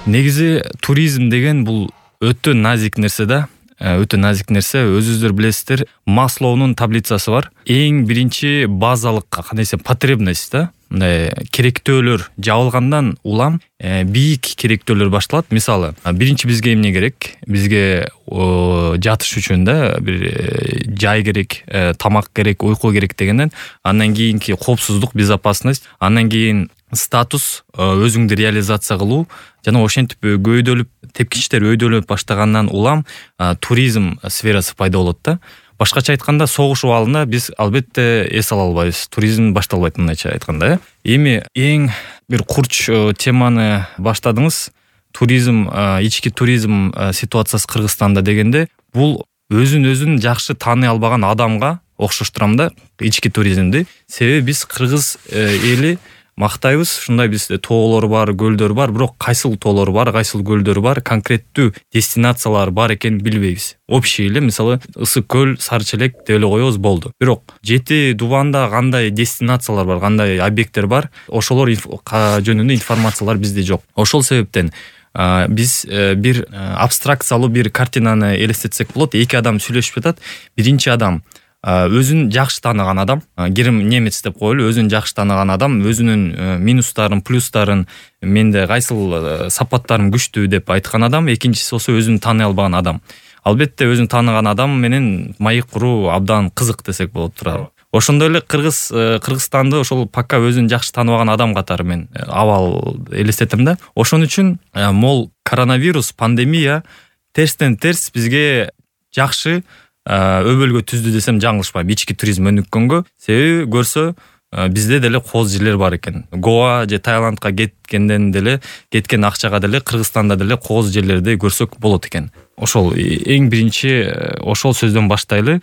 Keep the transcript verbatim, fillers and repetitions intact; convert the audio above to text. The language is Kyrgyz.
Негизи туризм деген бул өтө назик нерсе да. Өтө назик нерсе. Өзүңүздөр билесиздер, Маслоунун таблицасы бар. Эң биринчи базалык кандай десем потребность да. Мындай керектөөлөр жабылгандан улам бийик керектөөлөр башталат. Мисалы, биринчи бизге эмне керек? Бизге жатыш үчүн да бир жай керек, тамак керек, уйку керек дегенден андан кийинки коопсуздук, безопасность, андан кийин статус, өзүңдү реализация кылуу жана ошентип көйдөлүп, тепкичтер өйдөлөп баштагандан улам туризм сферасы пайда болот да. Башкача айтканда, согуш убалында биз албетте эс ала албайбыз. Туризм башталбайт мындайча айтканда. Эми эң бир курч теманы баштадыңыз. Туризм, ички туризм ситуациясы Кыргызстанда дегенде, бул өзүн өзүн жакшы тааный албаган адамга окшоштурам да ички туризмди. Себеби биз кыргыз эли мактайбыз, ушундай бизде тоолор бар, көлдөр бар, бирок кайсыл тоолор бар, кайсыл көлдөр бар, конкреттүү дестинациялар бар экенин билбейбиз. Общий эле, мисалы, Ысык көл, Сары Челек деп эле коебуз, болду. Бирок жети дубанда кандай дестинациялар бар, кандай объекттер бар, ошолор жөнүндө информациялар бизде жок. Ошол себептен биз бир абстракциялуу бир картинаны элестетсек болот. Эки адам сүйлөшүп жатат. Биринчи адам өзүн жакшы тааныган адам, Герм немец деп коелу, өзүн жакшы тааныган адам, өзүнүн минустарын, плюстарын, менде кайсыл сапаттарым күчтүү деп айткан адам. Экинчиси болсо өзүн тааный албаган адам. Албетте өзүн тааныган адам менен маек куруу абдан кызык десек болот турат. Ошондой эле Кыргыз Кыргызстанды ошол пока өзүн жакшы тааныбаган адам катары мен абал элестетем да. Ошон үчүн мол коронавирус, пандемия терстен терс бизге жакшы өбөлгө түздү десем жаңылышпайм, ички туризм өнүккөнгө. Себеби көрсө бизде деле кооз жерлер бар экен. Гоа же Таиландка кеткенден деле, кеткен акчага деле Кыргызстанда деле кооз жерлерди көрсөк болот экен. Ошол эң биринчи ошол сөздөн баштайлы.